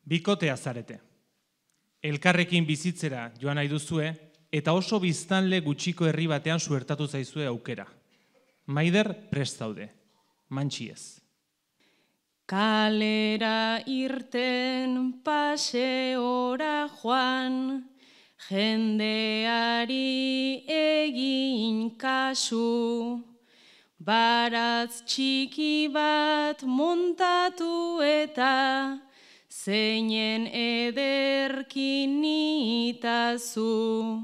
Bikotea zarete. Elkarrekin bizitzera joan nahi duzue, eta oso biztanle gutxiko herri batean suertatu zaizue aukera. Maider prest zaude, mantxi ez. Kalera irten paseora joan, jendeari egin kasu, baratz txiki bat montatu eta zeinen ederkin nitazu,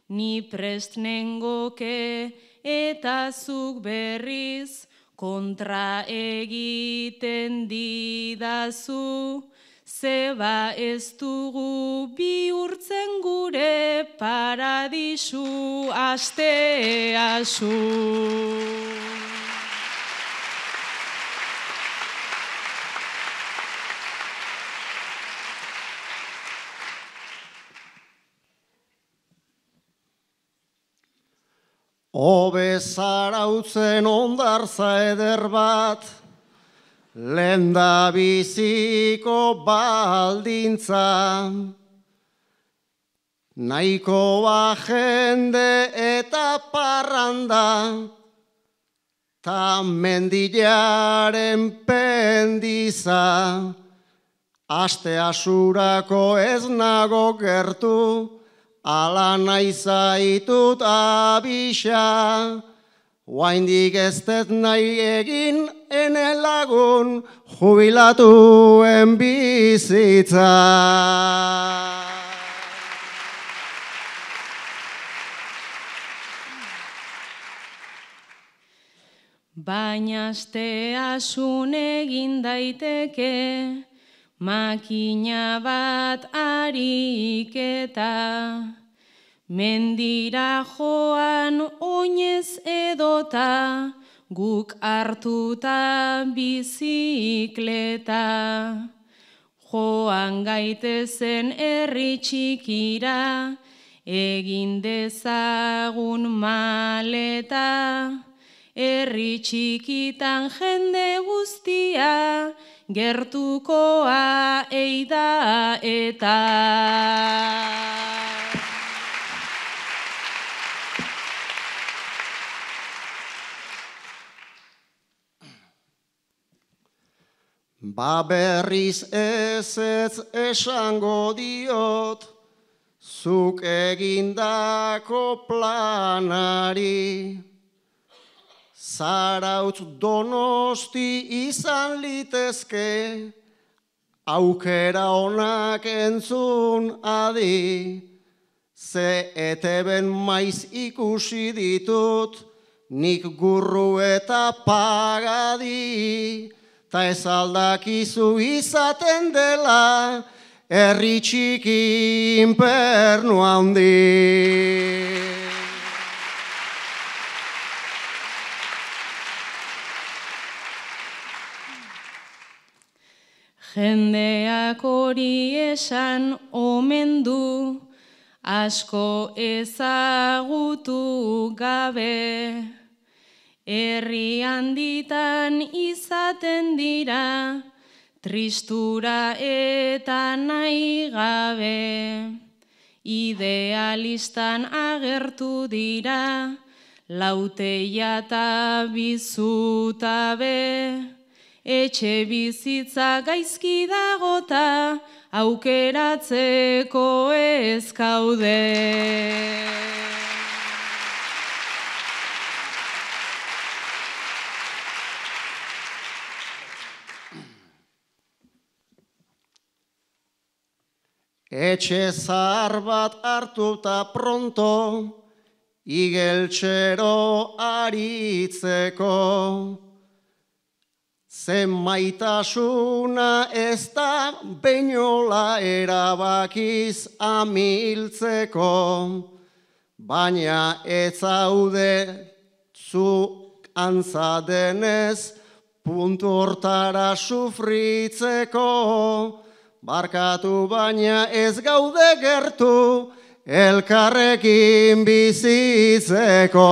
ni prest nengoke eta zuk berriz kontra egiten didazu, zeba ez dugu bihurtzen gure paradisu asteasu. Hobe zarautzen ondartza eder bat, lenda biziko baldintza. Nahikoa jende eta parranda, ta mendilaren pendiza. Aste asurako ez nago gertu, ala nahi zaitut abisa, oaindik ez dut nahi egin ene lagun jubilatuen bizitza. Baina asteasun egin daiteke, makina bat ariketa, mendira joan oinez edota, guk hartuta bizikleta. Joan gaitezen herri txikira, egin dezagun maleta, herri txikitan jende guztia, gertukoa eida eta. Ba berriz ez esango diot, zuk egindako planari. Zarautz Donosti izan litezke, aukera onak entzun adi. Ze eteben maiz ikusi ditut, nik gurru eta pagadi. Ta ez aldakizu izaten dela, herri txiki infernu handi. Jendeak hori esan omen du, asko ezagutu gabe. Herri handitan izaten dira, tristura eta nahi gabe. Idealistan agertu dira, lauteia eta bizutabe. Etxe bizitza gaizki dagota, aukeratzeko ez kaude. Etxe zahar bat hartuta pronto, igeltxero aritzeko. Zen maitasuna ez da beinola erabakiz amiltzeko, baina ez zaude zu antza denez puntu hortara sufritzeko. Barkatu baina ez gaude gertu elkarrekin bizitzeko.